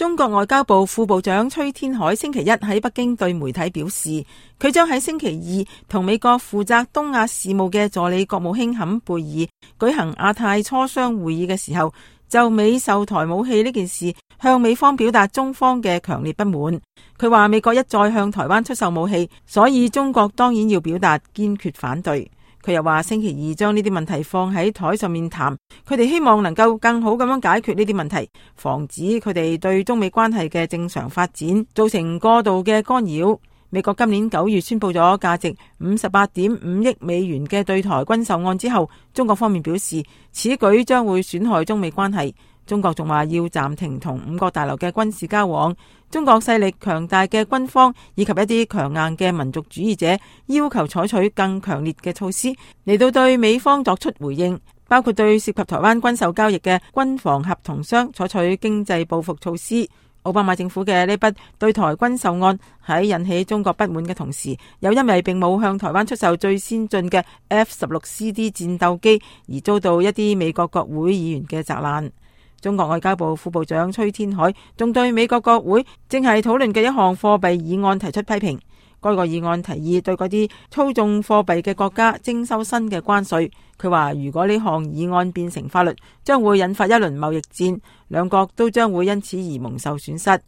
中國外交部副部長崔天凱星期一喺北京對媒體表示，佢將喺星期二同美國負責東亞事務嘅助理國務卿坎貝爾舉行亞太磋商會議嘅時候，就美售台武器呢件事向美方表達中方嘅強烈不滿。佢話美國一再向台灣出售武器，所以中國當然要表達堅決反對。佢又話星期二將呢啲問題放喺台上面談，佢哋希望能夠更好咁樣解決呢啲問題，防止佢哋對中美關係嘅正常發展造成過度嘅干擾。美國今年9月宣布咗價值58.5億美元嘅對台軍售案之後，中國方面表示此舉將會損害中美關係。中國仲話要暫停同5角大樓嘅軍事交往。中國勢力強大嘅軍方以及一啲強硬嘅民族主義者要求採取更強烈嘅措施嚟到對美方作出回應，包括對涉及台灣軍售交易嘅軍防合同商採取經濟報復措施。奧巴馬政府嘅呢筆對台軍售案喺引起中國不滿嘅同時，又因為並冇向台灣出售最先進嘅 F-16CD 戰鬥機而遭到一啲美國國會議員嘅責難。中國外交部副部長崔天凱仲對美國國會正係討論嘅一項貨幣議案提出批評。該個議案提議對嗰啲操縱貨幣嘅國家徵收新嘅關稅。佢話如果呢項議案變成法律，將會引發一輪貿易戰，兩國都將會因此而蒙受損失。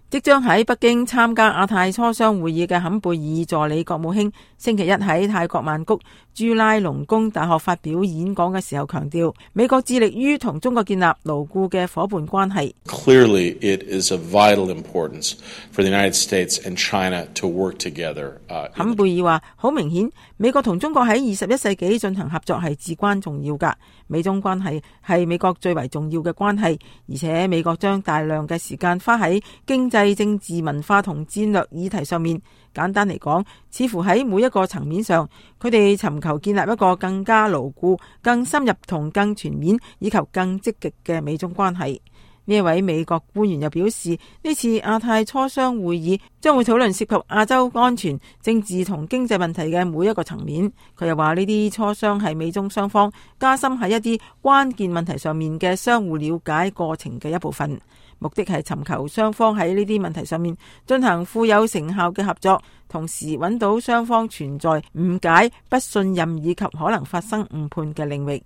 即將喺北京參加亞太磋商會議嘅坎貝爾助理國務卿星期一喺泰國曼谷朱拉隆功大學發表演講嘅時候強調，美國致力於同中國建立牢固嘅夥伴關係。Clearly, it is of vital importance for the United States and China to work together. 坎貝爾話：好明顯，美國同中國喺21世紀進行合作係至關重要㗎。美中關係係美國最為重要嘅關係，而且美國將大量嘅時間花喺經濟、政治、文化同戰略議題上面。簡單嚟講，似乎喺每一個層面上，佢哋尋求建立一個更加牢固、更深入同更全面以及更積極嘅美中關係。呢一位美國官員又表示，呢次亞太磋商會議將會討論涉及亞洲安全、政治同經濟問題嘅每一個層面。佢又話呢啲磋商係美中雙方加深喺一啲關鍵問題上面嘅相互了解過程嘅一部分，目的係尋求雙方喺呢啲問題上面進行富有成效嘅合作，同時揾到雙方存在誤解、不信任以及可能發生誤判嘅領域。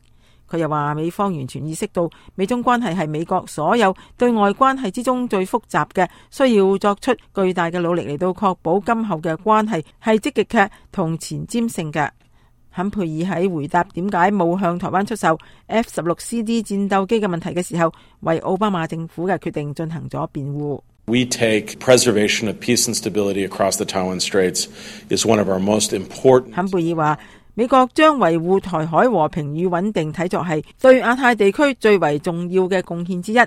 佢又話美方完全意識到美中關係係美國所有對外關係之中最複雜嘅，需要作出巨大嘅努力嚟到確保今後嘅關係係積極嘅同前瞻性嘅。坎貝爾喺回答點解冇向台灣出售 F-16CD 戰鬥機嘅問題嘅時候，為奧巴馬政府嘅決定進行咗辯護。We take preservation of peace and stability across the Taiwan Straits is one of our most important. 坎貝爾話，美國將維護台海和平與穩定睇作係對亞太地區最為重要嘅貢獻之一。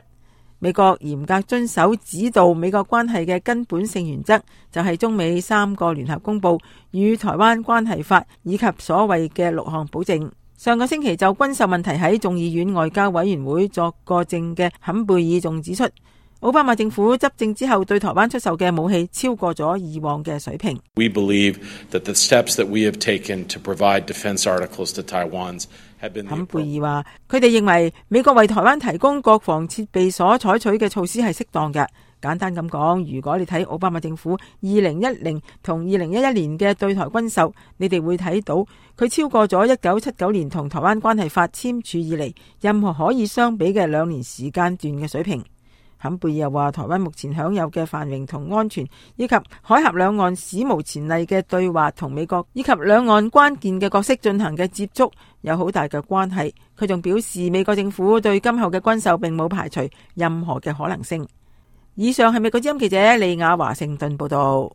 美國嚴格遵守指導美國關係嘅根本性原則，就係中美3個聯合公報與台灣關係法以及所謂嘅6項保證。上個星期就軍售問題喺眾議院外交委員會作過證嘅坎貝爾仲指出，奧巴馬政府執政之後對台灣出售嘅武器超過咗以往嘅水平。We believe that the steps that we have taken to provide defense articles to Taiwan have been. 坎貝爾話，佢哋認為美國為台灣提供國防設備所採取嘅措施係適當嘅。簡單咁講，如果你睇奧巴馬政府2010同2011年嘅對台軍售，你哋會睇到佢超過咗1979年同台灣關係法簽署以嚟任何可以相比嘅2年時間段嘅水平。坎貝爾又話，台灣目前享有嘅繁榮同安全，以及海峽兩岸史無前例嘅對話同美國以及兩岸關鍵嘅角色進行嘅接觸，有好大嘅關係。佢仲表示，美國政府對今後嘅軍售並冇排除任何嘅可能性。以上係美國之音記者李雅華盛頓報道。